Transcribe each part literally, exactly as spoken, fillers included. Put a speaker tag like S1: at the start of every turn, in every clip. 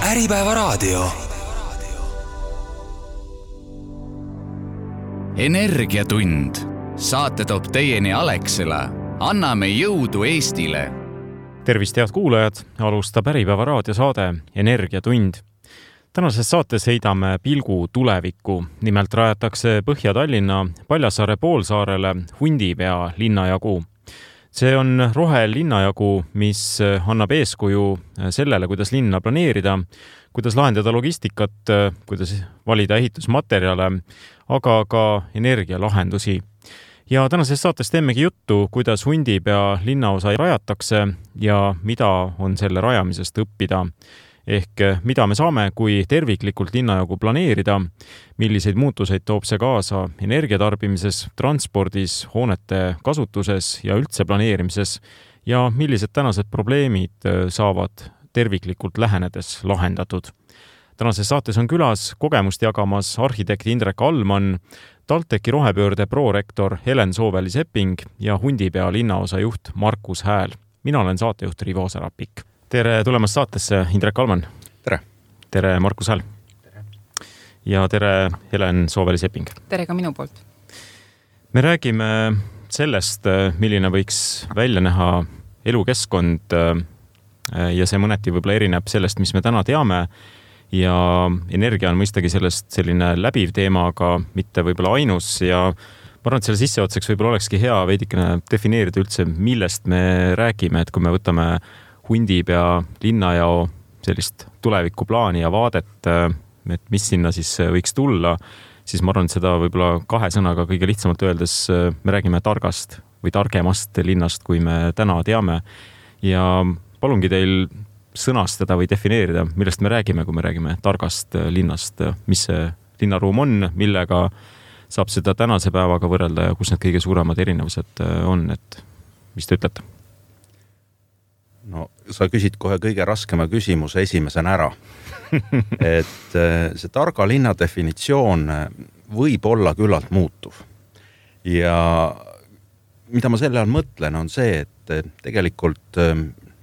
S1: Äripäevaraadio. Energiatund. Saate toob teieni Alexela. Anname jõudu Eestile.
S2: Tervist, head kuulajad! Alustab Äripäevaraadio saade Energiatund. Tänases saates heidame pilgu tulevikku. Nimelt rajatakse Põhja-Tallinna Paljassaare poolsaarele Hundipea linnajagu. See on rohelinnajagu, mis annab eeskuju sellele, kuidas linna planeerida, kuidas lahendada logistikat, kuidas valida ehitusmaterjale, aga ka energialahendusi. Ja tänases saates teemegi juttu, kuidas Hundipea linnaosa rajatakse ja mida on selle rajamisest õppida. Ehk mida me saame, kui terviklikult linnajagu planeerida, milliseid muutuseid toob see kaasa energiatarbimises, transpordis, hoonete kasutuses ja üldse planeerimises ja millised tänased probleemid saavad terviklikult lähenedes lahendatud. Tänases saates on külas kogemust jagamas arhitekt Indrek Allmann, TalTechi rohepöörde prorektor Helen Sooväli-Sepping ja Hundipea linnaosa juht Markus Hääl. Mina olen saatejuht Rivo Sarapik. Tere tulemast saatesse, Indrek Allmann.
S3: Tere.
S2: Tere, Markus Hääl.
S3: Tere.
S2: Ja tere, Helen Sooväli-Sepping.
S4: Tere ka minu poolt.
S2: Me räägime sellest, milline võiks välja näha elukeskkond ja see mõneti võib-olla erineb sellest, mis me täna teame. Ja energia on mõistagi sellest selline läbiv teema, aga mitte võib-olla ainus ja ma arvan, et selle sisseotseks võib-olla olekski hea veidikene defineerida üldse, millest me räägime, et kui me võtame Hundipea linnajao sellist tulevikuplaani ja vaadet, et mis sinna siis võiks tulla, siis ma arvan, et seda võib-olla kahe sõnaga kõige lihtsamalt öeldes me räägime targast või targemast linnast, kui me täna teame. Ja palungi teil sõnastada või defineerida, millest me räägime, kui me räägime targast linnast, mis see linnaruum on, millega saab seda tänase päevaga võrrelda ja kus need kõige suuremad erinevused on, et mis te ütlete?
S3: No, sa küsid kohe kõige raskema küsimuse esimesena ära. Et see targa linna definitsioon võib olla küllalt muutuv. Ja mida ma selle all mõtlen, on see, et tegelikult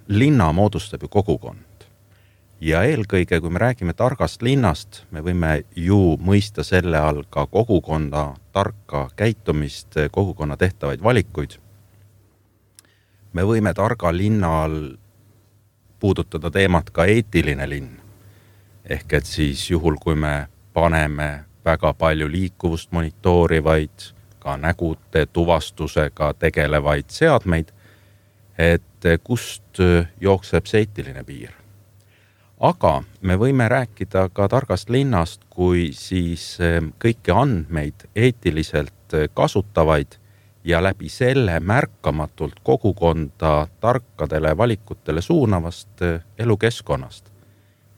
S3: linna moodustab ju kogukond. Ja eelkõige, kui me räägime targast linnast, me võime ju mõista selle all ka kogukonda, tarka käitumist, kogukonna tehtavaid valikuid. Me võime targa linna all puudutada teemat ka eetiline linn. Ehk et siis juhul, kui me paneme väga palju liikuvust monitoorivaid, ka nägude tuvastusega tegelevaid seadmeid, et kust jookseb see eetiline piir. Aga me võime rääkida ka targast linnast, kui siis kõiki andmeid eetiliselt kasutavaid ja läbi selle märkamatult kogukonda tarkadele valikutele suunavast elukeskkonnast.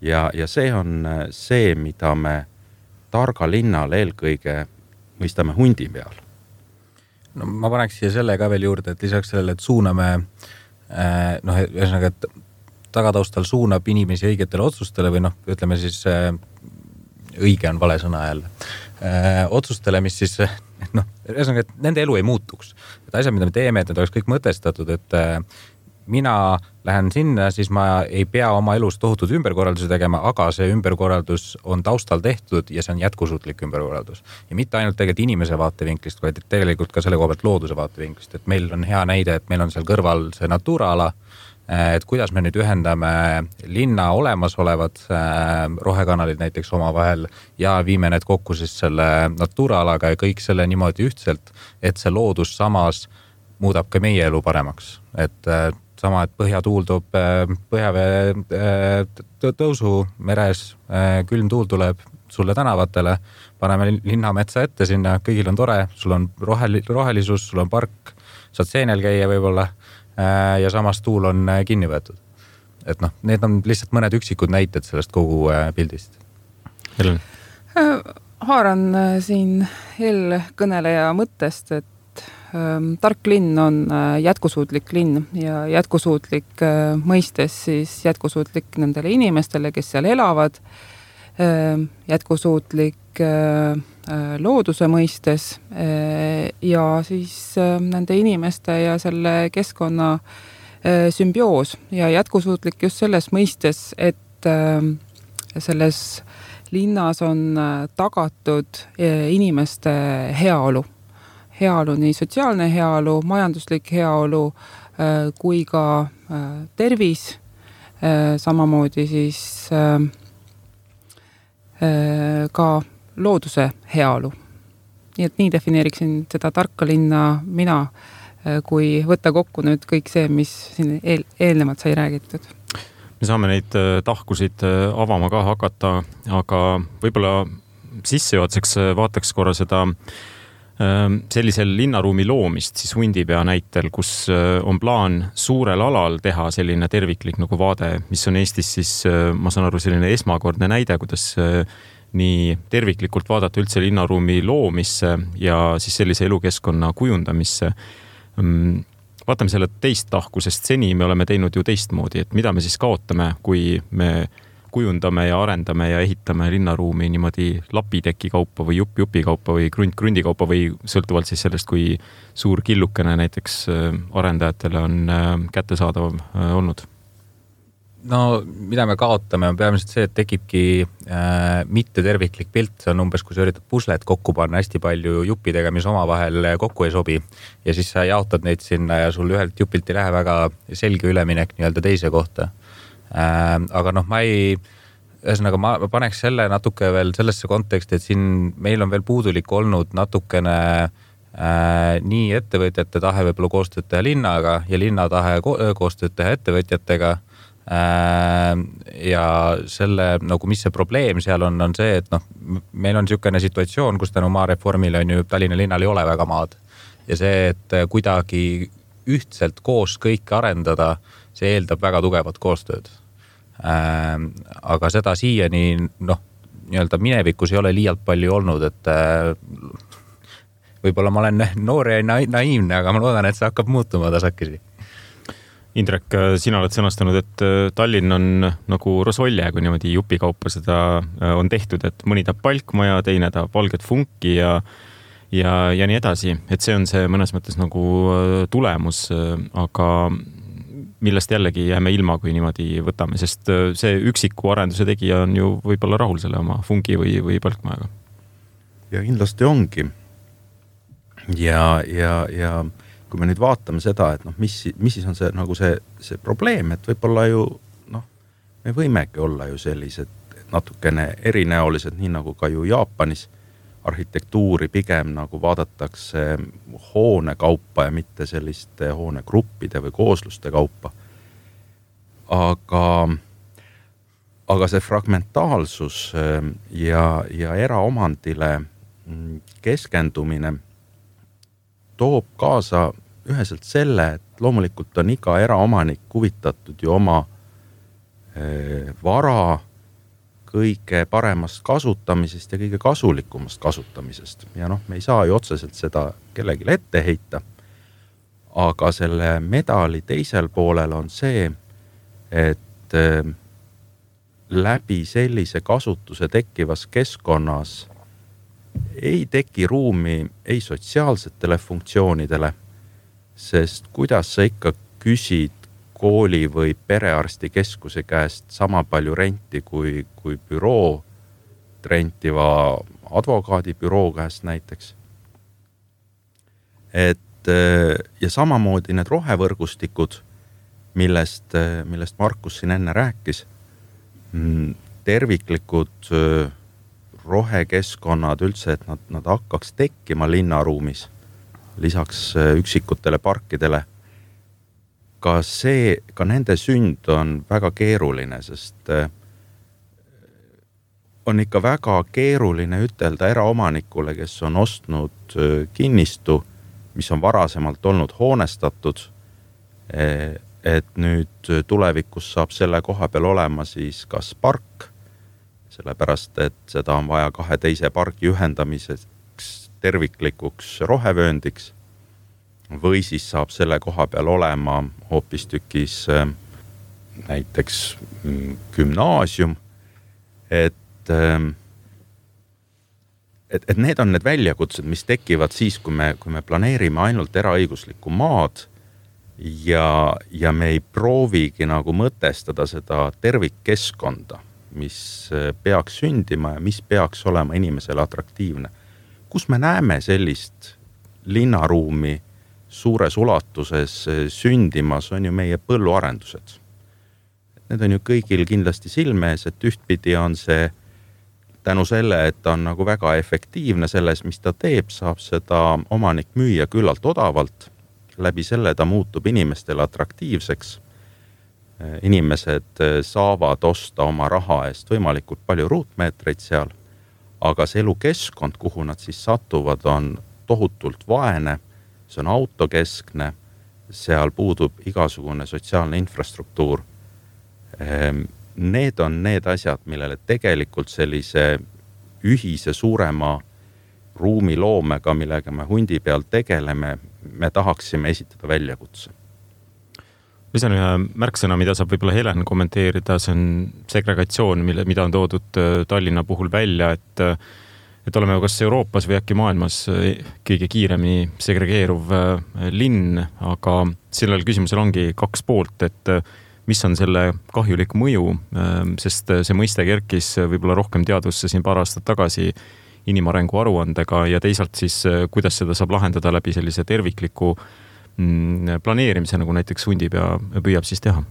S3: Ja, ja see on see, mida me targa linnal eelkõige mõistame Hundipeal.
S5: No ma paneks siia selle ka veel juurde, et lisaks sellele, et suuname, noh, ühesõnaga, et tagataustal suunab inimesi õigetele otsustele või noh, ütleme siis õige on vale sõna jälle. Otsustele, mis siis, noh, ühesõnaga, et nende elu ei muutuks. Et asjad, mida me teeme, et need oleks kõik mõtestatud, et mina lähen sinna, siis ma ei pea oma elus tohutud ümberkorraldusi tegema, aga see ümberkorraldus on taustal tehtud ja see on jätkusuutlik ümberkorraldus. Ja mitte ainult tegelikult inimese vaatevinklist, vaid tegelikult ka selle koha pealt looduse vaatevinklist. Et meil on hea näide, et meil on seal kõrval see Natura-ala, et kuidas me nüüd ühendame linna olemasolevad rohekanalid näiteks oma vahel ja viime need kokku siis selle Natura-alaga ja kõik selle niimoodi ühtselt, et see loodus samas muudab ka meie elu paremaks. Et sama, et põhjatuul toob põhjavee tõusu meres, külm tuul tuleb sulle tänavatele, paneme linnametsa ette sinna, kõigil on tore, sul on rohelisus, sul on park, saad seenel käia võib-olla ja samas tuul on kinni võetud. Et noh, need on lihtsalt mõned üksikud näited sellest kogu pildist.
S2: Helen?
S4: Haaran siin eelkõneleja mõttest, et tark linn on jätkusuutlik linn ja jätkusuutlik mõistes siis jätkusuutlik nendele inimestele, kes seal elavad, jätkusuutlik looduse mõistes ja siis nende inimeste ja selle keskkonna sümbioos ja jätkusuutlik just selles mõistes, et selles linnas on tagatud inimeste heaolu. Heaolu, nii sotsiaalne heaolu, majanduslik heaolu kui ka tervis, samamoodi siis ka looduse heaolu. Nii et nii defineeriksin seda tarka linna mina, kui võtta kokku nüüd kõik see, mis siin eel, eelnevalt sai räägitud.
S2: Me saame neid tahkusid avama ka hakata, aga võib-olla sissejuhatuseks vaataks korra seda sellisel linnaruumi loomist siis Hundipea näitel, kus on plaan suurel alal teha selline terviklik nagu vaade, mis on Eestis siis, ma saan aru, selline esmakordne näide, kuidas nii terviklikult vaadata üldse linnaruumi loomisse ja siis sellise elukeskkonna kujundamisse. Vaatame selle teist tahku, sest seni me oleme teinud ju teistmoodi, et mida me siis kaotame, kui me kujundame ja arendame ja ehitame linnaruumi niimoodi lapiteki kaupa või jupp-jupi kaupa või krunt-krundi kaupa või sõltuvalt siis sellest, kui suur killukene näiteks arendajatele on kättesaadav olnud.
S5: No mida me kaotame on peamiselt see, et tekibki äh, mitte terviklik pilt, see on umbes, kui sa üritad puslet kokku panna hästi palju juppidega, mis omavahel kokku ei sobi ja siis sa jaotad neid sinna ja sul ühelt jupilt ei lähe väga selge üleminek nii-öelda teise kohta. Äh, aga noh, ma ei, ühesõnaga ma paneks selle natuke veel sellesse konteksti, et siin meil on veel puudulik olnud natukene äh, nii ettevõtjate tahe võib-olla koostööd teha linnaga ja linna tahe ko- koostööd teha ettevõtjatega. Ja selle, nagu mis see probleem seal on, on see, et noh, meil on niisugune situatsioon, kus tänu maareformile on ju Tallinna linnal ei ole väga maad. Ja see, et kuidagi ühtselt koos kõike arendada, see eeldab väga tugevat koostööd. Aga seda siiani, noh, nii-öelda minevikus ei ole liialt palju olnud, et võib-olla ma olen noor ja naiivne, aga ma loodan, et see hakkab muutuma tasakesi.
S2: Indrek, sina oled sõnastanud, et Tallinn on nagu rosolje, kui niimoodi jupikaupa seda on tehtud, et mõni tahab palkmaja, teine tahab valget funki ja, ja, ja nii edasi. Et see on see mõnes mõttes nagu tulemus, aga millest jällegi jääme ilma, kui niimoodi võtame, sest see üksiku arenduse tegija on ju võib-olla rahul selle oma fungi või, või palkmajaga.
S3: Ja kindlasti ongi. Ja, ja, ja kui me nüüd vaatame seda, et noh, mis, mis siis on see, nagu see, see probleem, et võib-olla ju, noh, me võimegi olla ju sellised natukene erinäolised, nii nagu ka ju Jaapanis arhitektuuri pigem nagu vaadatakse hoone kaupa ja mitte selliste hoonegruppide või koosluste kaupa. Aga, aga see fragmentaalsus ja, ja eraomandile keskendumine toob kaasa üheselt selle, et loomulikult on iga eraomanik huvitatud ju oma e, vara kõige paremast kasutamisest ja kõige kasulikumast kasutamisest. Ja noh, me ei saa ju otseselt seda kellelegi ette heita, aga selle medali teisel poolel on see, et e, läbi sellise kasutuse tekkivas keskkonnas ei teki ruumi ei sotsiaalsetele funktsioonidele, sest kuidas sa ikka küsid kooli või perearsti keskuse käest sama palju renti kui, kui büroo rentiva advokaadibüroo käest näiteks. Et ja samamoodi need rohevõrgustikud, millest, millest Markus siin enne rääkis, terviklikud rohekeskkonnad üldse, et nad, nad hakkaks tekkima linnaruumis lisaks üksikutele parkidele. Ka see, ka nende sünd on väga keeruline, sest on ikka väga keeruline ütelda eraomanikule, kes on ostnud kinnistu, mis on varasemalt olnud hoonestatud, et nüüd tulevikus saab selle koha peal olema siis kas park, sellepärast, et seda on vaja kahe teise pargi ühendamiseks terviklikuks rohevööndiks või siis saab selle koha peal olema hoopistükis näiteks gümnaasium, et, et, et need on need väljakutsed, mis tekivad siis, kui me, kui me planeerime ainult eraõiguslikku maad ja, ja me ei proovigi nagu mõtestada seda tervikkeskkonda, mis peaks sündima ja mis peaks olema inimesele atraktiivne. Kus me näeme sellist linnaruumi suures ulatuses sündimas, on ju meie põlluarendused. Need on ju kõigil kindlasti silme ees, et ühtpidi on see tänu selle, et ta on nagu väga efektiivne selles, mis ta teeb, saab seda omanik müüa küllalt odavalt. Läbi selle ta muutub inimestele atraktiivseks. Inimesed saavad osta oma raha eest võimalikult palju ruutmeetreid seal, aga see elukeskkond, kuhu nad siis satuvad, on tohutult vaene, see on autokeskne, seal puudub igasugune sotsiaalne infrastruktuur. Need on need asjad, millele tegelikult sellise ühise suurema ruumiloomega, millega me hundi peal tegeleme, me tahaksime esitada väljakutse.
S2: Lisan ühe märksõna, mida saab võib-olla Helen kommenteerida, see on segregatsioon, mille, mida on toodud Tallinna puhul välja, et et oleme kas Euroopas või äkki maailmas kõige kiiremini segregeeruv linn, aga sellel küsimusel ongi kaks poolt, et mis on selle kahjulik mõju, sest see mõiste kerkis võib-olla rohkem teadusse siin paar aastat tagasi inimarengu aruandega ja teisalt siis, kuidas seda saab lahendada läbi sellise tervikliku planeerimise, nagu näiteks Hundipea püüab siis teha.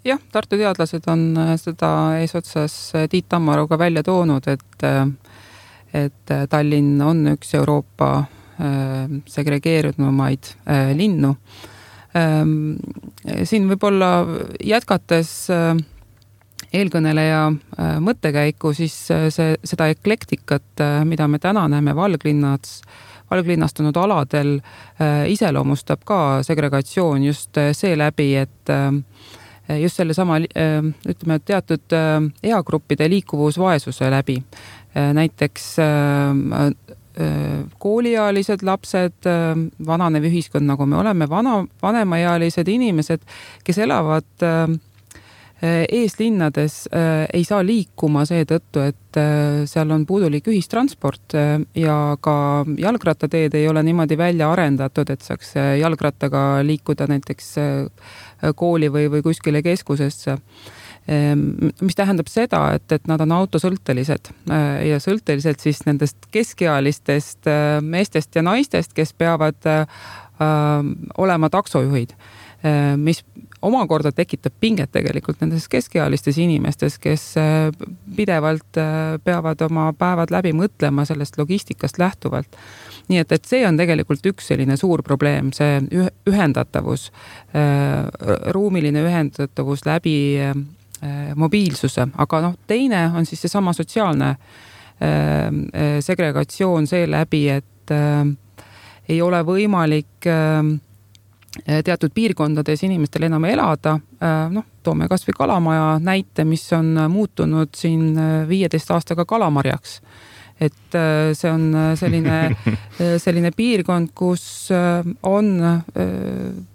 S4: Jah, Tartu teadlased on seda eesotsas Tiit Tammaruga välja toonud, et et Tallinn on üks Euroopa segregeerunumaid linnu. Siin võib-olla jätkates eelkõneleja mõttekäiku, siis see, seda eklektikat, mida me täna näeme valglinnats, valglinnastunud aladel, iseloomustab ka segregatsioon just seeläbi, et just selle sama, ütleme, teatud eagruppide liikuvusvaesuse läbi. Näiteks kooliealised lapsed, vananev ühiskond, nagu me oleme, vana, vanemaealised inimesed, kes elavad eeslinnades, ei saa liikuma seetõttu, et seal on puudulik ühistransport ja ka jalgrattateed ei ole niimoodi välja arendatud, et saaks jalgrattaga liikuda näiteks kooli või, või kuskile keskusesse. Mis tähendab seda, et, et nad on autosõltelised ja sõltelised siis nendest keskealistest meestest ja naistest, kes peavad äh, olema taksojuhid, mis omakorda tekitab pinget tegelikult nendes keskealistes inimestes, kes pidevalt peavad oma päevad läbi mõtlema sellest logistikast lähtuvalt. Nii et, et see on tegelikult üks selline suur probleem, see ühendatavus, ruumiline ühendatavus läbi mobiilsuse, aga noh, teine on siis see sama sotsiaalne segregatsioon seeläbi, et ei ole võimalik teatud piirkondades inimestel enam elada. Noh, toome kas või Kalamaja näite, mis on muutunud siin viieteist aastaga Kalamarjaks. Et see on selline, selline piirkond, kus on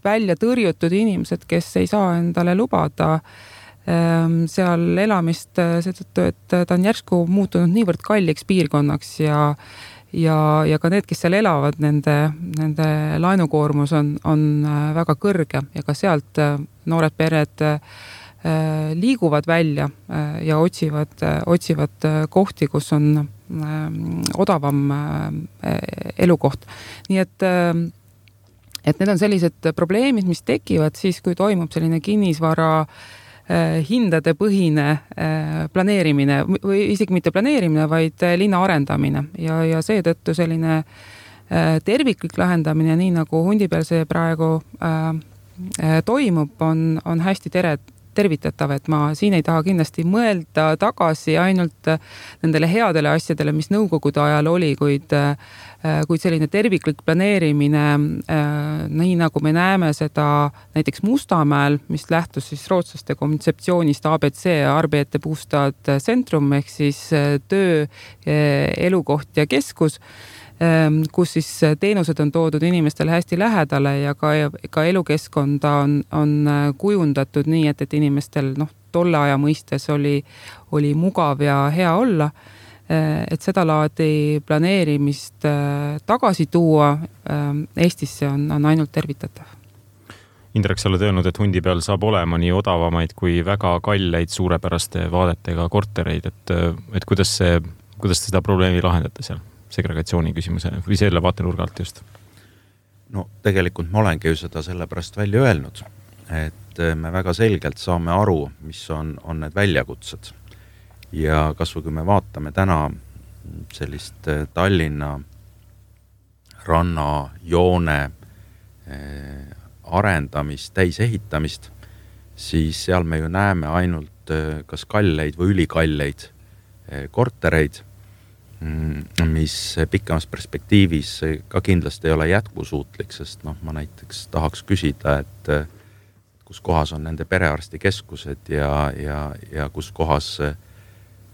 S4: välja tõrjutud inimesed, kes ei saa endale lubada seal elamist seetõttu, et ta on järsku muutunud niivõrd kalliks piirkonnaks ja, ja, ja ka need, kes seal elavad, nende, nende laenukoormus on, on väga kõrge ja ka sealt noored pered liiguvad välja ja otsivad, otsivad kohti, kus on odavam elukoht. Nii et, et need on sellised probleemid, mis tekivad siis, kui toimub selline kinnisvara hindade põhine planeerimine või isegi mitte planeerimine, vaid linna arendamine ja, ja seetõttu selline terviklik lahendamine, nii nagu Hundipeal see praegu toimub, on, on hästi tere, tervitatav, et ma siin ei taha kindlasti mõelda tagasi ainult nendele headele asjadele, mis nõukogude ajal oli, kuid, kuid selline terviklik planeerimine, nii nagu me näeme seda näiteks Mustamäel, mis lähtus siis rootslaste kontseptsioonist A B C, Arbete Bostad Centrum, ehk siis töö, elukoht ja keskus, kus siis teenused on toodud inimestele hästi lähedale ja ka, ka elukeskkonda on, on kujundatud nii, et, et inimestel noh, tolle aja mõistes oli, oli mugav ja hea olla, et seda laadi planeerimist tagasi tuua Eestisse on, on ainult tervitatav.
S2: Indrek, sa oled öelnud, et Hundi peal saab olema nii odavamaid kui väga kalleid suurepäraste vaadetega kortereid, et, et kuidas see, kuidas te seda probleemi lahendate seal segregatsiooni küsimuse või selle vaatenurga alt just?
S3: No tegelikult ma olengi ju seda sellepärast välja öelnud, et me väga selgelt saame aru, mis on, on need väljakutsed. Ja kas või kui me vaatame täna sellist Tallinna ranna joone arendamist, täisehitamist, siis seal me ju näeme ainult kas kalleid või ülikalleid kortereid, mis pikemas perspektiivis ka kindlasti ei ole jätkusuutlik, sest noh, ma näiteks tahaks küsida, et kus kohas on nende perearstikeskused ja, ja, ja kus kohas,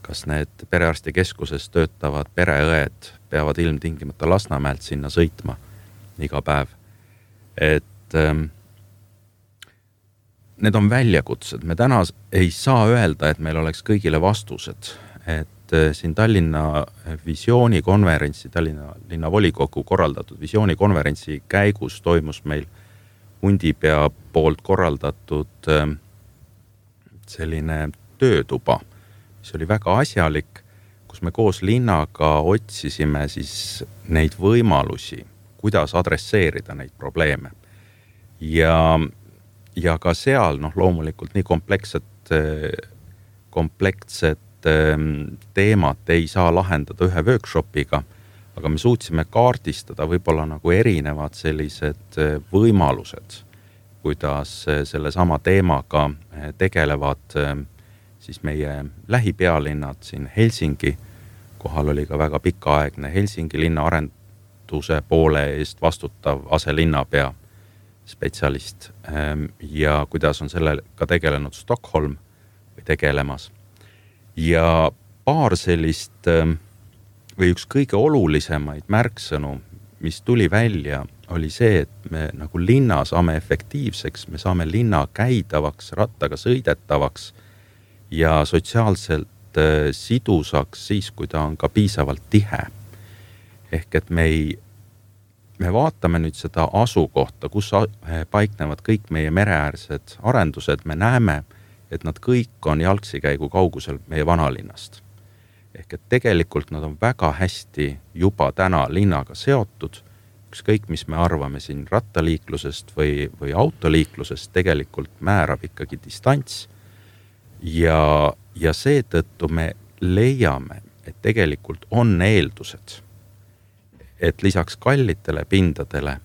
S3: kas need perearstikeskuses töötavad pereõed peavad ilmtingimata Lasnamäelt sinna sõitma iga päev. Et ähm, need on väljakutsed. Me täna ei saa öelda, et meil oleks kõigile vastused. Et äh, siin Tallinna visioonikonverentsi, Tallinna linnavolikogu korraldatud visioonikonverentsi käigus toimus meil Hundipea poolt korraldatud äh, selline töötuba, mis oli väga asjalik, kus me koos linnaga otsisime siis neid võimalusi, kuidas adresseerida neid probleeme. Ja, ja ka seal noh, loomulikult nii komplekssed, komplekssed teemat ei saa lahendada ühe workshopiga, aga me suutsime kaardistada võib-olla nagu erinevad sellised võimalused, kuidas selle sama teemaga tegelevad siis meie lähipealinnad siin Helsingi, kohal oli ka väga pikaaegne Helsingi linna arend poole eest vastutav aselinnapea spetsialist ja kuidas on sellega tegelenud Stockholm või tegelemas. Ja paar sellist või üks kõige olulisemaid märksõnu, mis tuli välja, oli see, et me nagu linna saame efektiivseks, me saame linna käidavaks, rattaga sõidetavaks ja sotsiaalselt sidusaks siis, kui ta on ka piisavalt tihe. Ehk et me, ei, me vaatame nüüd seda asukohta, kus paiknevad kõik meie mereäärsed arendused, me näeme, et nad kõik on jalgsikäigu kaugusel meie vanalinnast. Ehk et tegelikult nad on väga hästi juba täna linnaga seotud, ükskõik mis me arvame siin rattaliiklusest või, või autoliiklusest, tegelikult määrab ikkagi distants ja, ja seetõttu me leiame, et tegelikult on eeldused, et lisaks kallitele pindadele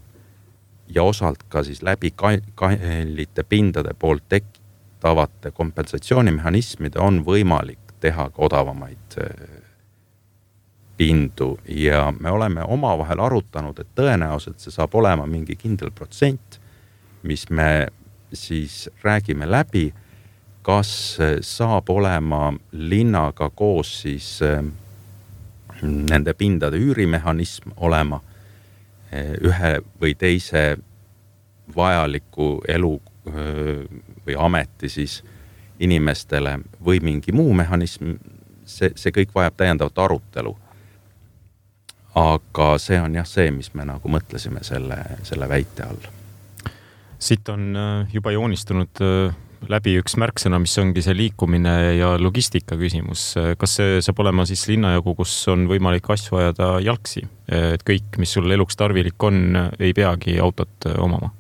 S3: ja osalt ka siis läbi kallite pindade poolt tektavate kompensatsioonimehhanismide on võimalik teha ka odavamaid pindu ja me oleme omavahel arutanud, et tõenäoliselt see saab olema mingi kindel protsent, mis me siis räägime läbi, kas saab olema linnaga koos siis nende pindade üürimehhanism olema ühe või teise vajaliku elu või ameti siis inimestele või mingi muu mehhanism, see, see kõik vajab täiendavat arutelu. Aga see on jah see, mis me nagu mõtlesime selle, selle väite all.
S2: Siit on juba joonistunud läbi üks märksõna, mis ongi see liikumine ja logistika küsimus. Kas see saab olema siis linnajagu, kus on võimalik asju ajada jalgsi? Et kõik, mis sul eluks tarvilik on, ei peagi autot omama?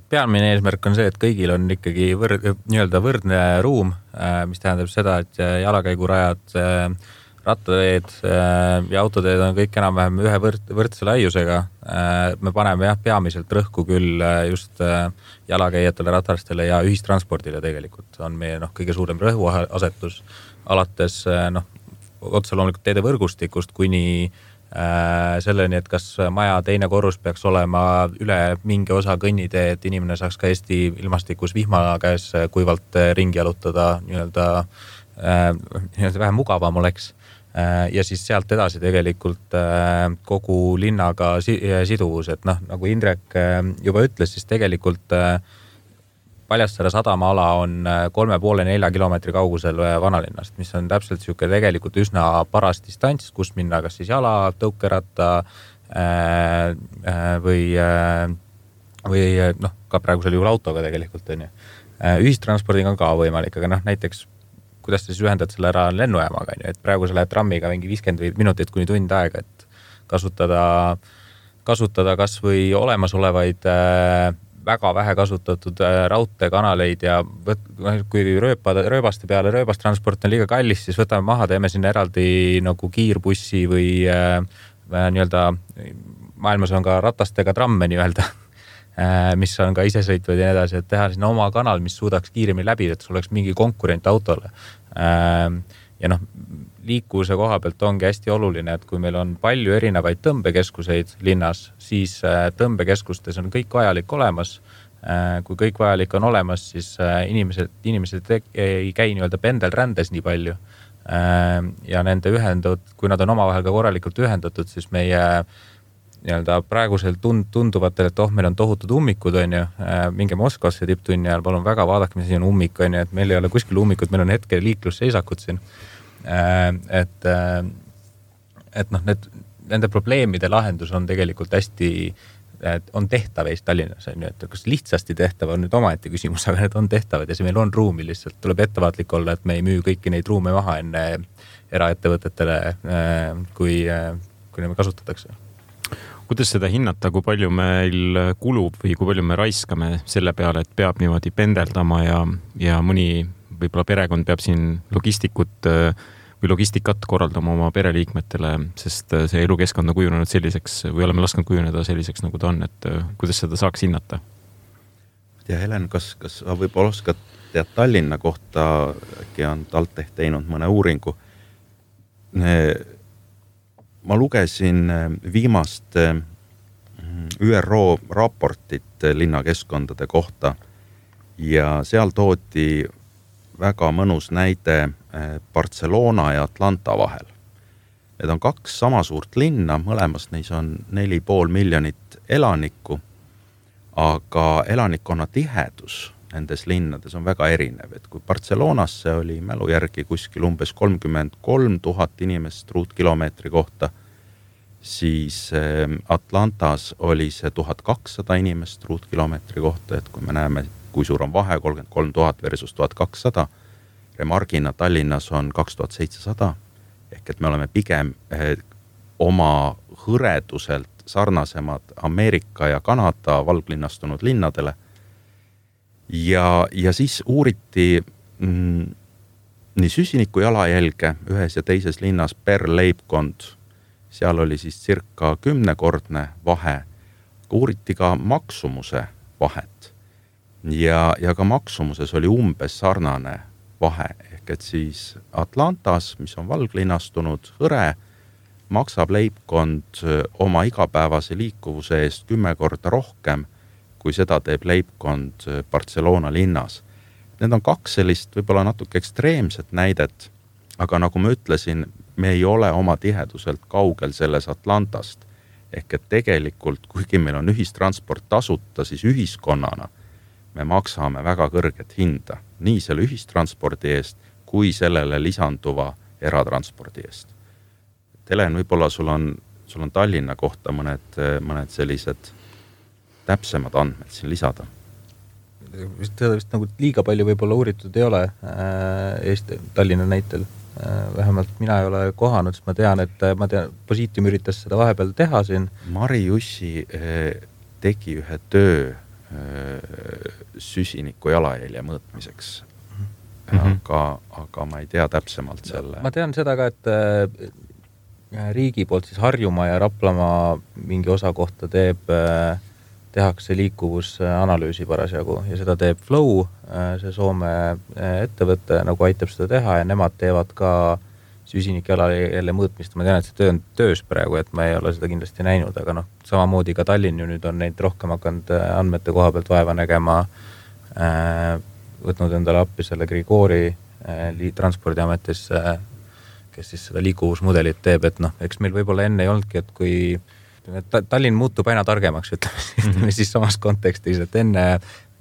S5: Pealmine eesmärk on see, et kõigil on ikkagi võrd, nii-öelda võrdne ruum, mis tähendab seda, et jalakäigurajad, rattateed ja autoteed on kõik enam-vähem ühe võrd, võrdse laiusega. Me paneme jah, peamiselt rõhku küll just jalakäijatele, ratarstele ja ühistranspordile tegelikult on meie noh, kõige suurem rõhuasetus alates noh, otse loomulikult teede võrgustikust kuni äh, selleni, et kas maja teine korrus peaks olema üle mingi osa kõnnitee, et inimene saaks ka Eesti ilmastikus vihma käes kuivalt ringi jalutada, nii-öelda, äh, nii-öelda vähem mugavam oleks. Ja siis sealt edasi tegelikult kogu linnaga siduvus, et noh, nagu Indrek juba ütles, siis tegelikult Paljassaare sadamaala on kolme poole nelja kilomeetri kaugusel vanalinnast, mis on täpselt siuke tegelikult üsna paras distants, kus minna kas siis jala, tõukeratta või või noh, ka praegusel juhul autoga tegelikult on ju. Ühistranspordiga on ka võimalik, aga noh, näiteks kuidas sa siis ühendad selle ära lennujaamaga, on ju, et praegu sa lähed trammiga mingi viiskümmend minutit kuni tund aega, et kasutada, kasutada kas või olemasolevaid väga vähe kasutatud raudteekanaleid ja võt, kui rööpa, rööbaste peale rööbastransport on liiga kallis, siis võtame maha, teeme sinna eraldi nagu kiirbussi või äh, nii-öelda, maailmas on ka ratastega tramme nii-öelda, äh, mis on ka isesõitvad ja nii edasi, et teha sinna oma kanal, mis suudaks kiiremini läbi, et sul oleks mingi konkurent autole. Äh, ja noh, liikuvuse koha pealt ongi hästi oluline, et kui meil on palju erinevaid tõmbekeskuseid linnas, siis tõmbekeskustes on kõik vajalik olemas. Kui kõik vajalik on olemas, siis inimesed, inimesed ei käi nii-öelda pendelrändes nii palju. Ja nende ühendud, kui nad on omavahel ka korralikult ühendatud, siis meie nii-öelda praegusel tund, tunduvatel, et oh, meil on tohutud ummikud, on ju, minge Moskvasse tipptunni ajal, palun väga vaadake, mis siin on ummik, on ju, et meil ei ole kuskil ummikud, meil on hetke liiklusseisakud siin. Et, et noh, need, nende probleemide lahendus on tegelikult hästi, on tehtav Eesti Tallinnas, on ju, et kas lihtsasti tehtav on nüüd omaette küsimus, aga need on tehtavad ja see meil on ruumi lihtsalt, tuleb ettevaatlik olla, et me ei müü kõiki neid ruume maha enne eraettevõtetele, kui, kui neid kasutatakse.
S2: Kuidas seda hinnata, kui palju meil kulub või kui palju me raiskame selle peale, et peab niimoodi pendeldama ja, ja mõni võib-olla perekond peab siin logistikut või logistikat korraldama oma pereliikmetele, sest see elukeskkond on kujunenud selliseks või oleme lasknud kujuneda selliseks, nagu ta on, et kuidas seda saaks hinnata?
S3: Ja Helen, kas, kas võib-olla oskad tead Tallinna kohta, äkki on TalTech teinud mõne uuringu? Ma lugesin viimast Ü R O raportit linnakeskkondade kohta ja seal toodi väga mõnus näide Barcelona ja Atlanta vahel. Need on kaks sama suurt linna, mõlemas neis on neli pool miljonit elanikku, aga elanikkonna tihedus nendes linnades on väga erinev. Et kui Barcelonasse oli mälu järgi kuskil umbes kolmkümmend kolm tuhat inimest ruutkilomeetri kohta, siis Atlantas oli see tuhat kakssada inimest ruutkilomeetri kohta, et kui me näeme, kui suur on vahe, kolmkümmend kolm tuhat versus tuhat kakssada, remargina Tallinnas on kaks tuhat seitsesada, ehk et me oleme pigem oma hõreduselt sarnasemad Ameerika ja Kanada valglinnastunud linnadele. Ja, ja siis uuriti mm, nii süsiniku jalajälge ühes ja teises linnas per leibkond, seal oli siis circa kümnekordne vahe, uuriti ka maksumuse vahet. Ja, ja ka maksumuses oli umbes sarnane vahe, ehk et siis Atlantas, mis on valglinnastunud hõre, maksab leibkond oma igapäevase liikuvuse eest kümme korda rohkem, kui seda teeb leibkond Barcelona linnas. Need on kaks sellist võib-olla natuke ekstreemset näidet, aga nagu ma ütlesin, me ei ole oma tiheduselt kaugel selles Atlantast, ehk et tegelikult, kuigi meil on ühistransport tasuta, siis ühiskonnana me maksame väga kõrget hinda, nii selle ühistranspordi eest, kui sellele lisanduva eratranspordi eest. Helen, võib-olla sul on, sul on Tallinna kohta mõned, mõned sellised täpsemad andmed siin lisada.
S5: Seda vist nagu liiga palju võib-olla uuritud ei ole Eesti, Tallinna näitel. Vähemalt mina ei ole kohanud, sest ma tean, et ma tean, Positium üritas seda vahepeal teha siin.
S3: Mari Jussi tegi ühe töö süsiniku jalajälje mõõtmiseks. Mm-hmm. Aga, aga ma ei tea täpsemalt selle.
S5: Ma tean seda ka, et riigi poolt siis Harjumaa ja Raplamaa mingi osa kohta teeb, tehakse liikuvusanalüüsi parasjagu ja seda teeb Flow, see Soome ettevõte nagu aitab seda teha ja nemad teevad ka süsinik jalajälje mõõtmist. Ma tean, et see töö on töös praegu, et ma ei ole seda kindlasti näinud, aga noh, samamoodi ka Tallinn ju nüüd on neid rohkem hakanud andmete koha pealt vaeva nägema, võtnud endale appi selle Grigori transpordiametis, kes siis seda liikuvusmudelit teeb, et noh, eks meil võib-olla enne ei olnudki, et kui Tallinn muutub aina targemaks, ütleme siis samas kontekstis, et enne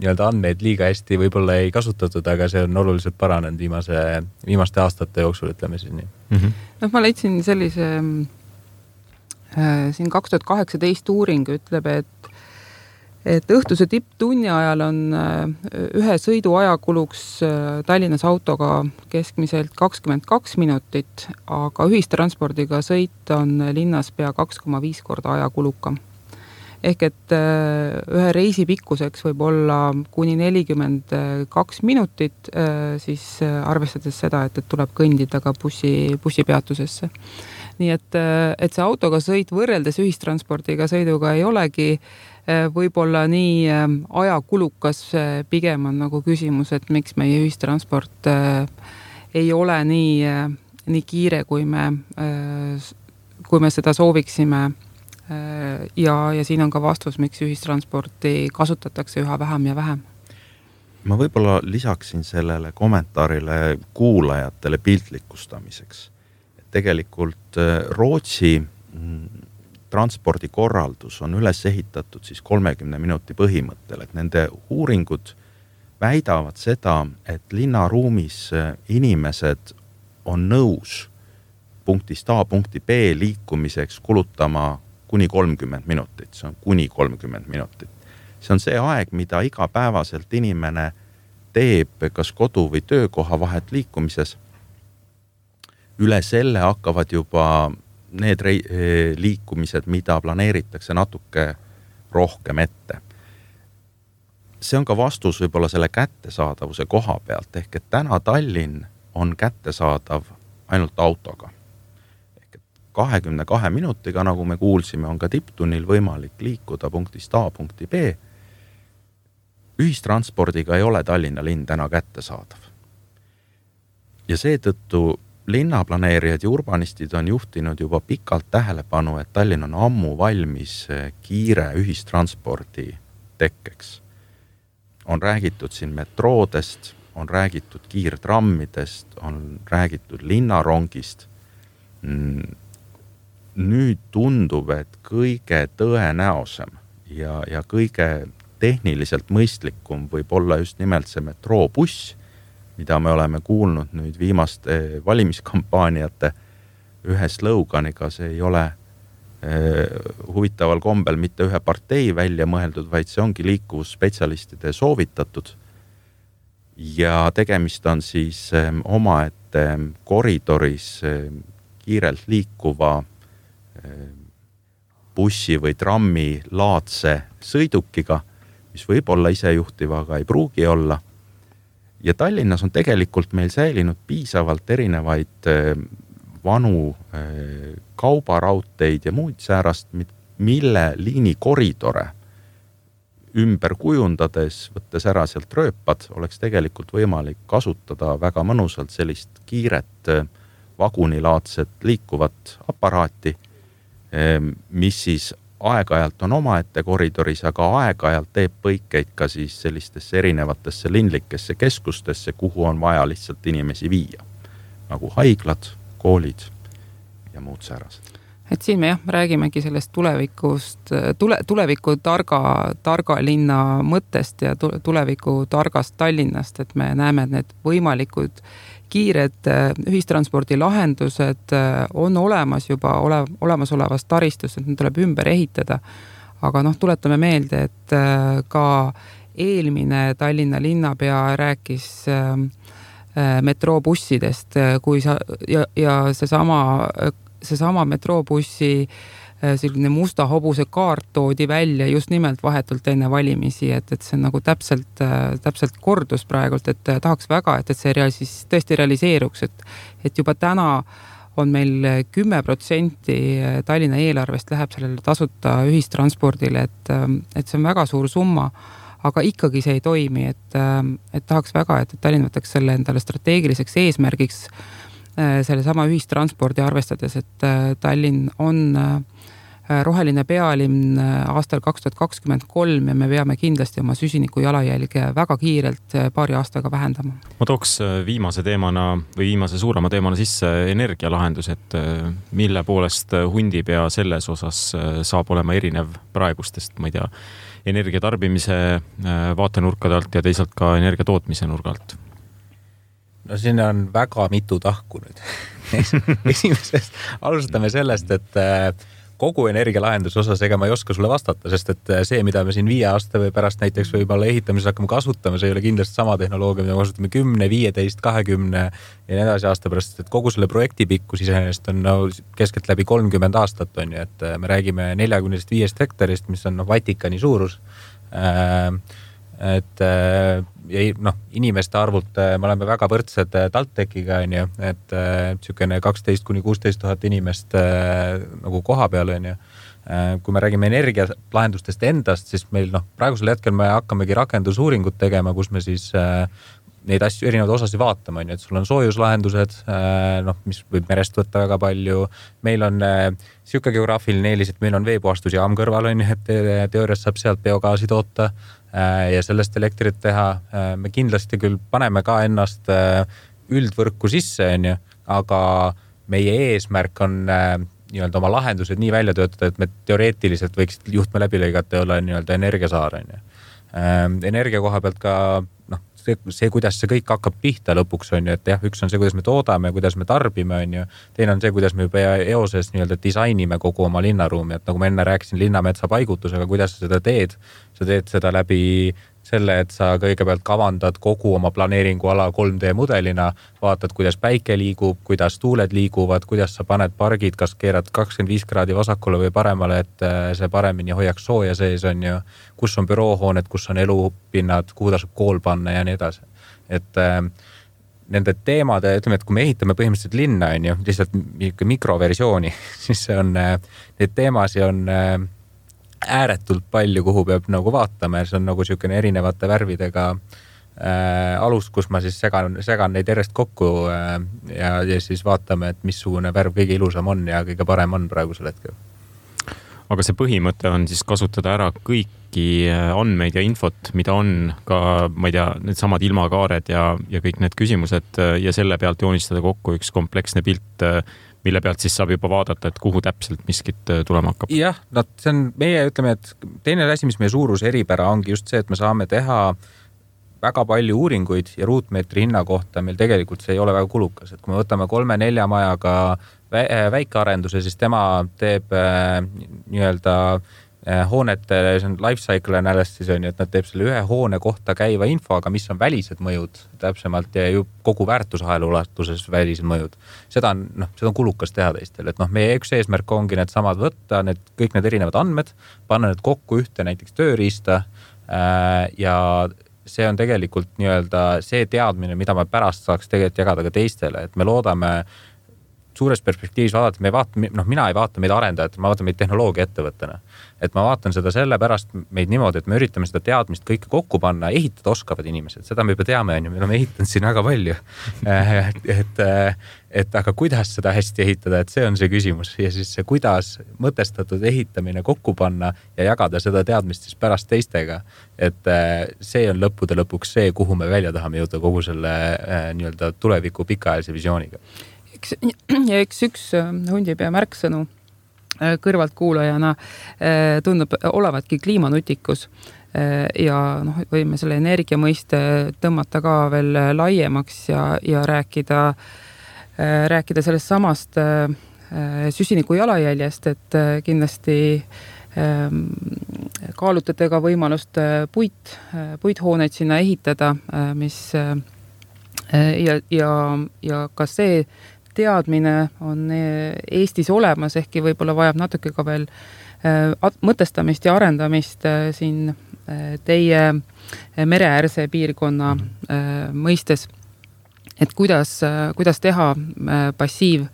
S5: nii-öelda andmeid liiga hästi võib-olla ei kasutatud, aga see on oluliselt paranenud viimase, viimaste aastate jooksul, ütleme siis nii.
S4: Mm-hmm. No, ma leidsin sellise äh, siin kaks tuhat kaheksateist uuring ütleb, et, et õhtuse tipptunni ajal on ühe sõidu ajakuluks Tallinnas autoga keskmiselt kakskümmend kaks minutit, aga ühistranspordiga sõit on linnas pea kaks koma viis korda ajakulukam. Ehk et ühe reisi pikkuseks võib olla kuni nelikümmend kaks minutit, siis arvestades seda, et, et tuleb kõndida ka bussi, bussipeatusesse. Nii et, et see autoga sõit võrreldes ühistranspordiga sõiduga ei olegi võib-olla nii ajakulukas, pigem on nagu küsimus, et miks meie ühistransport ei ole nii, nii kiire, kui me, kui me seda sooviksime. Ja, ja siin on ka vastus, miks ühistransporti kasutatakse üha vähem ja vähem.
S3: Ma võib-olla lisaksin sellele kommentaarile kuulajatele piltlikustamiseks. Tegelikult Rootsi transpordikorraldus on üles ehitatud siis kolmekümne minuti põhimõttel, et nende uuringud väidavad seda, et linnaruumis inimesed on nõus punktist A punkti B liikumiseks kulutama kuni kolmkümmend minutit, see on kuni kolmkümmend minutit. See on see aeg, mida igapäevaselt inimene teeb kas kodu või töökoha vahet liikumises. Üle selle hakkavad juba need liikumised, mida planeeritakse natuke rohkem ette. See on ka vastus võib-olla selle kättesaadavuse koha pealt, ehk et täna Tallinn on kättesaadav ainult autoga. Ehk et kahekümne kahe minutiga, nagu me kuulsime, on ka tipptunnil võimalik liikuda punktist A punkti B. Ühistranspordiga ei ole Tallinna linn täna kättesaadav. Ja seetõttu linnaplaneerijad ja urbanistid on juhtinud juba pikalt tähelepanu, et Tallinn on ammu valmis kiire ühistranspordi tekkeks. On räägitud siin metroodest, on räägitud kiirtrammidest, on räägitud linnarongist. Nüüd tundub, et kõige tõenäosem ja, ja kõige tehniliselt mõistlikum võib olla just nimelt see metroobuss, mida me oleme kuulnud nüüd viimaste valimiskampaaniate ühe sloganiga. See ei ole eh, huvitaval kombel mitte ühe partei välja mõeldud, vaid see ongi liikuvusspetsialistide soovitatud. Ja tegemist on siis eh, omaette koridoris eh, kiirelt liikuva eh, bussi või trammi laadse sõidukiga, mis võib olla isejuhtiva, aga ei pruugi olla. Ja Tallinnas on tegelikult meil säilinud piisavalt erinevaid vanu kaubaraudteid ja muid säärast, mille liini koridore ümber kujundades, võttes ära sealt rööpad, oleks tegelikult võimalik kasutada väga mõnusalt sellist kiiret vagunilaadset liikuvat aparaati, mis siis aeg-ajalt on omaette koridoris, aga aeg-ajalt teeb põikeid ka siis sellistesse erinevatesse linlikesse keskustesse, kuhu on vaja lihtsalt inimesi viia. Nagu haiglad, koolid ja muud säärased.
S4: Et siin me jah, räägimegi sellest tulevikust, tule, tuleviku targa, targa linna mõttest ja tuleviku targast Tallinnast, et me näeme, et need võimalikud kiired ühistranspordi lahendused on olemas juba ole, olemasolevast taristust, et need tuleb ümber ehitada. Aga noh, tuletame meelde, et ka eelmine Tallinna linnapea rääkis metroobussidest, kui sa, ja, ja seesama, seesama metroobussi selline musta hobuse kaart toodi välja just nimelt vahetult enne valimisi, et, et see on nagu täpselt, täpselt kordus praegult, et tahaks väga, et, et see real, siis tõesti realiseeruks, et, et juba täna on meil kümme protsenti Tallinna eelarvest läheb sellele tasuta ühistranspordile, et, et see on väga suur summa, aga ikkagi see ei toimi, et, et tahaks väga, et, et Tallinn võtaks selle endale strateegiliseks eesmärgiks selle sama ühistranspordi arvestades, et Tallinn on roheline pealinn aastal kaks tuhat kakskümmend kolm ja me peame kindlasti oma süsiniku jalajälge väga kiirelt paari aastaga vähendama.
S2: Ma tooks viimase teemana või viimase suurema teemana sisse energialahendus, et mille poolest Hundipea selles osas saab olema erinev praegustest, ma ei tea, energiatarbimise vaatenurkade alt ja teisalt ka energia tootmise nurgalt.
S5: No siin on väga mitu tahku nüüd. Esimesest alustame sellest, et kogu energialahenduse osas, ega ma ei oska sulle vastata, sest et see, mida me siin viie aasta või pärast näiteks võib-olla ehitamises hakkame kasutama, see ei ole kindlasti sama tehnoloogia, mida me kasutame kümne, viieteist, kahekümne ja nii edasi aasta pärast, et kogu selle projekti pikkus iseenesest on no, keskelt läbi kolmkümmend aastat on ju, et me räägime neljakümnest viiest hektarist, mis on no, Vatikani suurus. Et ja noh, inimeste arvult me oleme väga võrdsed TalTechiga on ju, et niisugune kaksteist kuni kuusteist tuhat inimest nagu koha peal on ju. Kui me räägime energialahendustest endast, siis meil noh, praegusel hetkel me hakkamegi rakendusuuringut tegema, kus me siis neid asju, erinevaid osasid vaatama, on ju, et sul on soojuslahendused, noh, mis võib merest võtta väga palju. Meil on siuke geograafiline eelis, et meil on veepuhastusjaam kõrval, on ju, et teoorias saab sealt biogaasi toota ja sellest elektrit teha. Me kindlasti küll paneme ka ennast üldvõrku sisse, on ju, aga meie eesmärk on nii-öelda oma lahendused nii välja töötada, et me teoreetiliselt võiksid juhtme läbi lõigata ja olla nii-öelda energiasaar, on ju. Energia koha pealt ka noh, see, see, kuidas see kõik hakkab pihta lõpuks on ju, et jah, üks on see, kuidas me toodame, kuidas me tarbime on ju, teine on see, kuidas me juba eoses nii-öelda disainime kogu oma linnaruumi, et nagu ma enne rääkisin linnametsa paigutusega, kuidas sa seda teed, sa teed seda läbi selle, et sa kõigepealt kavandad kogu oma planeeringuala kolm D mudelina, vaatad, kuidas päike liigub, kuidas tuuled liiguvad, kuidas sa paned pargid, kas keerad kakskümmend viis kraadi vasakule või paremale, et see paremini hoiaks sooja sees on ju, kus on büroohooned, kus on elupinnad, kuhu tasub kool panna ja nii edasi. Et äh, nende teemade, ütleme, et kui me ehitame põhimõtteliselt linna on ju, lihtsalt mikroversiooni, siis see on, neid teemasi on äh, ääretult palju, kuhu peab nagu vaatama ja see on nagu niisugune erinevate värvidega äh, alus, kus ma siis segan, segan neid järjest kokku äh, ja, ja siis vaatame, et missugune värv kõige ilusam on ja kõige parem on praegusel hetkel.
S2: Aga see põhimõte on siis kasutada ära kõiki andmeid ja infot, mida on ka, ma ei tea, need samad ilmakaared ja, ja kõik need küsimused ja selle pealt joonistada kokku üks kompleksne pilt, mille pealt siis saab juba vaadata, et kuhu täpselt miskit tulema hakkab.
S5: Jah, no see on meie, ütleme, et teine asi, mis meie suurus eripära ongi just see, et me saame teha väga palju uuringuid ja ruutmeetri hinna kohta meil tegelikult see ei ole väga kulukas. Et kui me võtame kolme-nelja majaga väikearenduse, siis tema teeb äh, nii-öelda hoonete, see on life cycle analysis on ju, et nad teeb selle ühe hoone kohta käiva info, aga mis on välised mõjud täpsemalt ja ju kogu väärtusahela ulatuses välised mõjud. Seda on, noh, seda on kulukas teha teistel, et noh, meie üks eesmärk ongi need samad võtta, need, kõik need erinevad andmed, panna need kokku ühte näiteks tööriista äh, ja see on tegelikult nii-öelda see teadmine, mida me pärast saaks tegelikult jagada ka teistele, et me loodame suures perspektiivis vaadata, me vaata, noh, mina ei vaata meid arendajat, ma vaatan meid tehnoloogia ettevõttena. Et ma vaatan seda selle pärast meid niimoodi, et me üritame seda teadmist kõike kokku panna, ehitada oskavad inimesed, seda me juba teame, on ju, me oleme ehitanud siin väga palju. et, et aga kuidas seda hästi ehitada, et see on see küsimus ja siis see, kuidas mõtestatud ehitamine kokku panna ja jagada seda teadmist siis pärast teistega. Et see on lõppude lõpuks see, kuhu me välja tahame jõuda kogu selle nii-öelda tuleviku pikaajalise visiooniga.
S4: Ja eks üks hundipea märksõnu kõrvaltkuulajana tundub olevatki kliimanutikus ja noh, võime selle energia mõiste tõmmata ka veel laiemaks ja, ja rääkida, rääkida sellest samast süsiniku jalajäljest, et kindlasti kaalutate ka võimalust puit, puithooneid sinna ehitada, mis ja, ja, ja ka see teadmine on Eestis olemas, ehkki võib-olla vajab natuke ka veel mõtestamist ja arendamist siin teie mereäärse piirkonna mõistes, et kuidas, kuidas teha passiiv,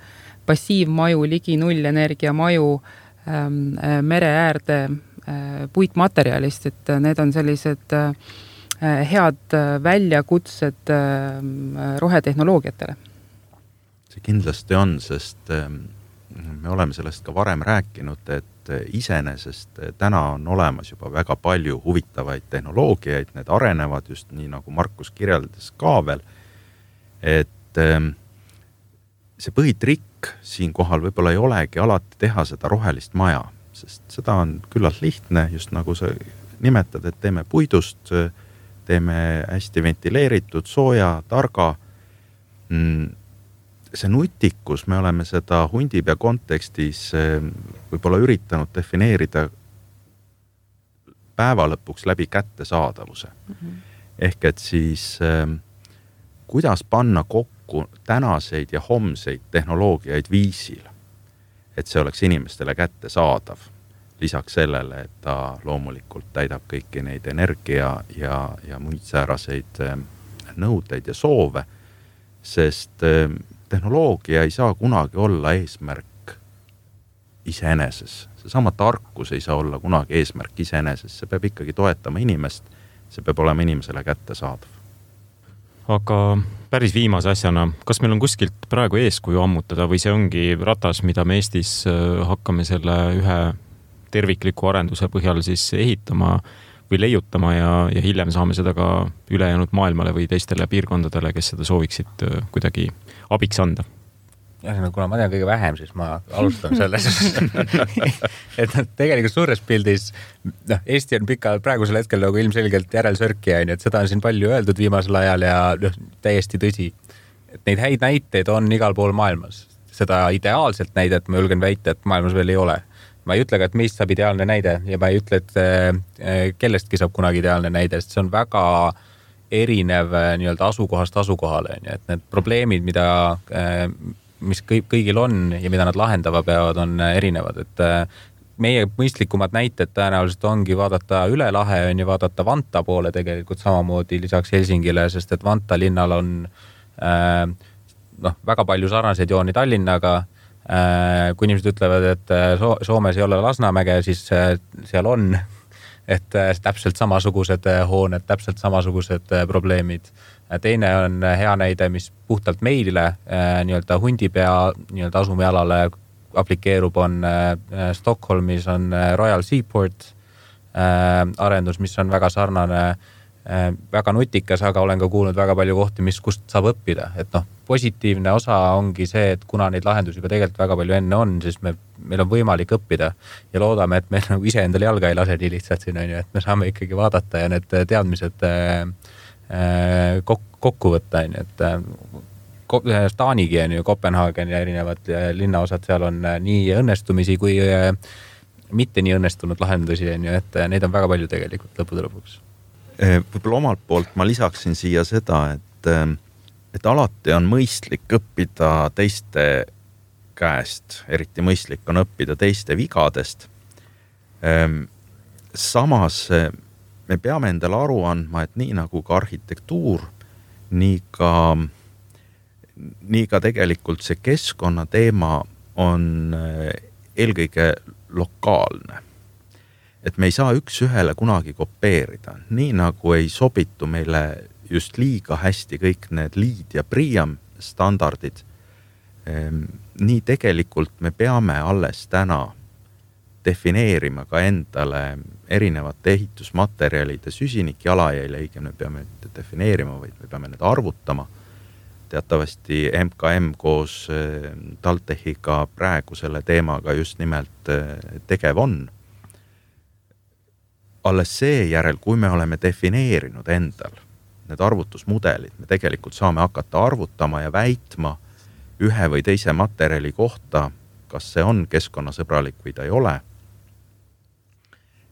S4: passiivmaju, ligi nullenergia maju mereäärde puitmaterjalist, et need on sellised head väljakutsed rohetehnoloogiatele.
S3: See kindlasti on, sest me oleme sellest ka varem rääkinud, et iseenesest täna on olemas juba väga palju huvitavaid tehnoloogiaid, need arenevad just nii, nagu Markus kirjeldas ka veel, et see põhitrikk siin kohal võib-olla ei olegi alati teha seda rohelist maja, sest seda on küllalt lihtne, just nagu sa nimetad, et teeme puidust, teeme hästi ventileeritud, sooja, targa. see nutikus, me oleme seda Hundipea kontekstis võib-olla üritanud defineerida päeva lõpuks läbi kättesaadavuse. Mm-hmm. Ehk et siis kuidas panna kokku tänaseid ja homseid tehnoloogiaid viisil, et see oleks inimestele kättesaadav. Lisaks sellele, et ta loomulikult täidab kõiki neid energia ja, ja muid sääraseid nõudeid ja soove, sest tehnoloogia ei saa kunagi olla eesmärk iseeneses. Seesama tarkus ei saa olla kunagi eesmärk iseeneses. See peab ikkagi toetama inimest, see peab olema inimesele kättesaadav.
S2: Aga päris viimase asjana, kas meil on kuskilt praegu eeskuju ammutada või see ongi ratas, mida me Eestis hakkame selle ühe tervikliku arenduse põhjal siis ehitama või leiutama ja, ja hiljem saame seda ka ülejäänud maailmale või teistele piirkondadele, kes seda sooviksid kuidagi abiks anda?
S5: Ja, kuna ma tean kõige vähem, siis ma alustan selles. et tegelikult suures pildis, noh, Eesti on pika praegusel hetkel nagu ilmselgelt järelsörkija, et seda on siin palju öeldud viimasel ajal ja noh, täiesti tõsi. Et neid häid näiteid on igal pool maailmas. Seda ideaalselt näidet ma julgen väita, et maailmas veel ei ole. Ma ei ütle ka, et meist saab ideaalne näide ja ma ei ütle, et kellestki saab kunagi ideaalne näide, sest see on väga erinev nii-öelda asukohast asukohale. Et need probleemid, mida, mis kõigil on ja mida nad lahendava peavad, on erinevad. Et meie mõistlikumad näited tõenäoliselt ongi vaadata üle lahe on ja vaadata Vanta poole tegelikult samamoodi lisaks Helsingile, sest et Vanta linnal on noh, väga palju sarnaseid jooni Tallinnaga. Kui inimesed ütlevad, et Soomes ei ole Lasnamäge, siis seal on, et täpselt samasugused hooned, täpselt samasugused probleemid. Teine on hea näide, mis puhtalt meile nii-öelda Hundipea nii-öelda asumialale aplikeerub, on Stockholmis on Royal Seaport arendus, mis on väga sarnane, väga nutikas, aga olen ka kuulnud väga palju kohti, mis kust saab õppida. Et noh, positiivne osa ongi see, et kuna neid lahendusi juba tegelikult väga palju enne on, siis me, meil on võimalik õppida ja loodame, et me nagu ise endale jalga ei lase nii lihtsalt siin, on ju, et me saame ikkagi vaadata ja need teadmised kokku võtta, on ju, et Taanigi on ju, Kopenhaagen ja erinevad linnaosad, seal on nii õnnestumisi kui mitte nii õnnestunud lahendusi, on ju, et neid on väga palju tegelikult lõpude lõpuks.
S3: Võib-olla omalt poolt ma lisaksin siia seda, et, et alati on mõistlik õppida teiste käest, eriti mõistlik on õppida teiste vigadest. Samas me peame endale aru andma, et nii nagu ka arhitektuur, nii ka, nii ka tegelikult see keskkonna teema on eelkõige lokaalne. Et me ei saa üks ühele kunagi kopeerida, nii nagu ei sobitu meile just liiga hästi kõik need liid ja priam standardid. Nii tegelikult me peame alles täna defineerima ka endale erinevate ehitusmaterjalide süsinik jalajälje, õigemini peame defineerima, vaid me peame need arvutama. Teatavasti M K M koos TalTechiga praegu selle teemaga just nimelt tegev on. Alles seejärel, kui me oleme defineerinud endal need arvutusmudelid, me tegelikult saame hakata arvutama ja väitma ühe või teise materjali kohta, kas see on keskkonnasõbralik või ta ei ole.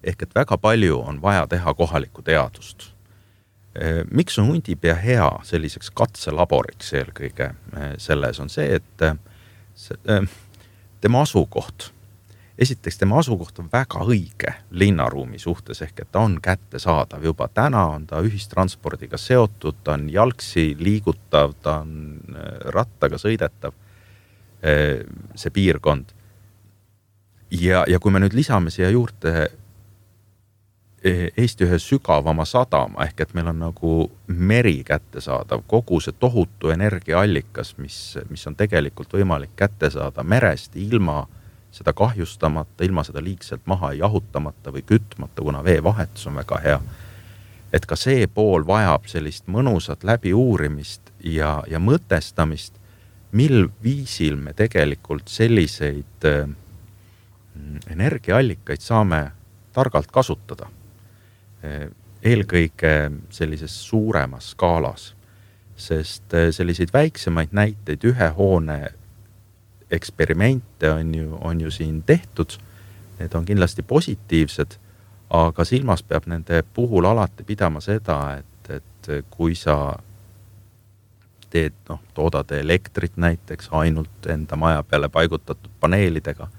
S3: Ehk et väga palju on vaja teha kohalikku teadust. Miks on Hundipea hea selliseks katselaboriks eelkõige selles on see, et tema asukoht, esiteks tema asukoht on väga õige linnaruumi suhtes, ehk et ta on kättesaadav juba täna, on ta ühistranspordiga seotud, ta on jalgsi liigutav, ta on rattaga sõidetav, see piirkond. Ja, ja kui me nüüd lisame siia juurde Eesti ühe sügavama sadama, ehk et meil on nagu meri kättesaadav, kogu see tohutu energiaallikas, mis, mis on tegelikult võimalik kätte saada merest ilma seda kahjustamata, ilma seda liigselt maha jahutamata või kütmata, kuna vee vahetus on väga hea. Et ka see pool vajab sellist mõnusat läbi uurimist ja, ja mõtestamist, mil viisil me tegelikult selliseid energiaallikaid saame targalt kasutada. Eelkõige sellises suuremas skaalas. sest selliseid väiksemaid näiteid, ühe hoone eksperimente on ju, on ju siin tehtud. Need on kindlasti positiivsed, aga silmas peab nende puhul alati pidama seda, et, et kui sa teed, noh, toodad elektrit näiteks ainult enda maja peale paigutatud paneelidega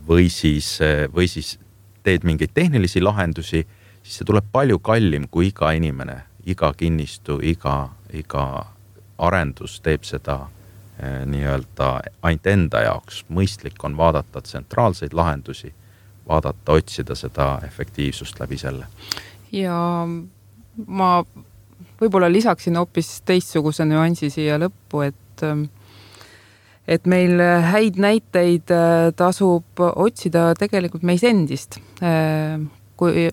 S3: või siis, või siis teed mingeid tehnilisi lahendusi, siis see tuleb palju kallim, kui iga inimene, iga kinnistu, iga, iga arendus teeb seda eh, nii-öelda ainult enda jaoks. Mõistlik on vaadata tsentraalseid lahendusi, vaadata, otsida seda efektiivsust läbi selle.
S4: Ja ma võib-olla lisaksin hoopis teistsuguse nüansi siia lõppu, et et meil häid näiteid tasub otsida tegelikult meis endist. Kui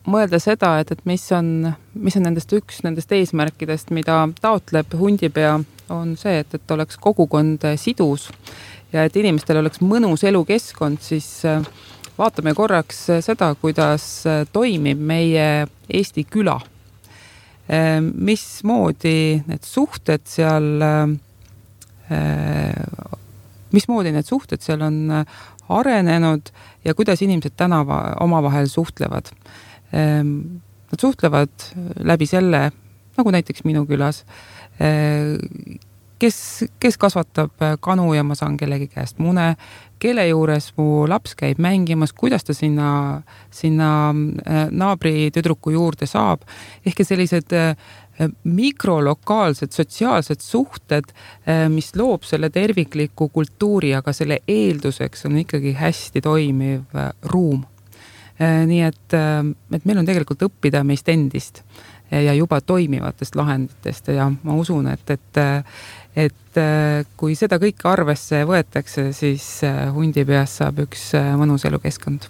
S4: mõelda seda, et, et mis on, mis on nendest üks nendest eesmärkidest, mida taotleb Hundipea, on see, et, et oleks kogukond sidus ja et inimestel oleks mõnus elukeskkond, siis vaatame korraks seda, kuidas toimib meie Eesti küla. Mismoodi need suhted seal mismoodi need suhted seal on arenenud ja kuidas inimesed tänava omavahel suhtlevad. Nad suhtlevad läbi selle, nagu näiteks minu külas, kes, kes kasvatab kanu ja ma saan kellegi käest mune, kelle juures mu laps käib mängimas, kuidas ta sinna, sinna naabri tüdruku juurde saab. Ehk sellised mikrolokaalsed sotsiaalsed suhted, mis loob selle tervikliku kultuuri, aga selle eelduseks on ikkagi hästi toimiv ruum. Nii et, et meil on tegelikult õppida meist endist ja juba toimivatest lahenditest ja ma usun, et, et, et kui seda kõike arvesse võetakse, siis Hundipeas saab üks mõnus elukeskkond.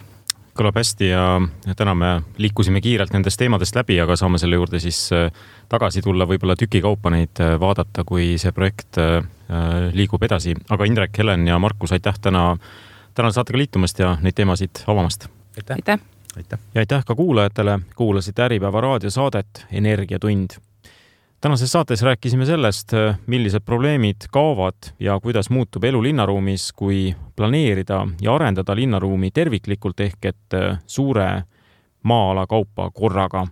S2: Kõlab hästi ja täna me liikusime kiirelt nendest teemadest läbi, aga saame selle juurde siis tagasi tulla, võib-olla tükikaupa neid vaadata, kui see projekt liigub edasi. Aga Indrek, Helen ja Markus, aitäh täna, täna saatega liitumast ja neid teemasid avamast.
S5: Aitäh.
S4: Aitäh.
S3: Aitäh.
S2: Ja aitäh ka kuulajatele, kuulasite Äripäeva raadiosaadet Energiatund. Tänases saates rääkisime sellest, millised probleemid kaovad ja kuidas muutub elu linnaruumis, kui planeerida ja arendada linnaruumi terviklikult ehk et suure maa-ala kaupa korraga.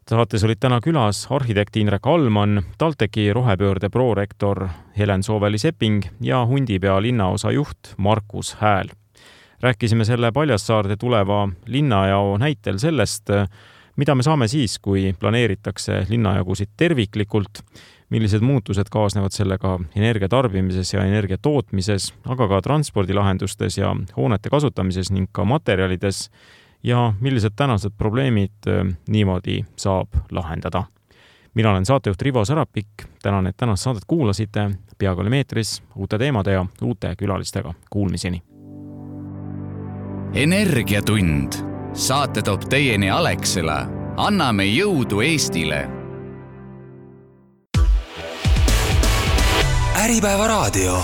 S2: Saates olid täna külas arhitekt Indrek Alman, TalTechi rohepöörde prorektor Helen Sooveli-Sepping ja Hundipea linnaosa juht Markus Hääl. Rääkisime selle Paljassaarde tuleva linnajao näitel sellest, mida me saame siis, kui planeeritakse linnajagusid terviklikult, millised muutused kaasnevad sellega energia tarbimises ja energia tootmises, aga ka transpordilahendustes ja hoonete kasutamises ning ka materjalides ja millised tänased probleemid niimoodi saab lahendada. Mina olen saatejuht Rivo Sarapik, tänan, et tänast saadet kuulasite, peaaegu oli meetris uute teemade ja uute külalistega. Kuulmiseni!
S1: Energiatund. Saate toob teieni Alexela. Anname jõudu Eestile. Äripäeva raadio.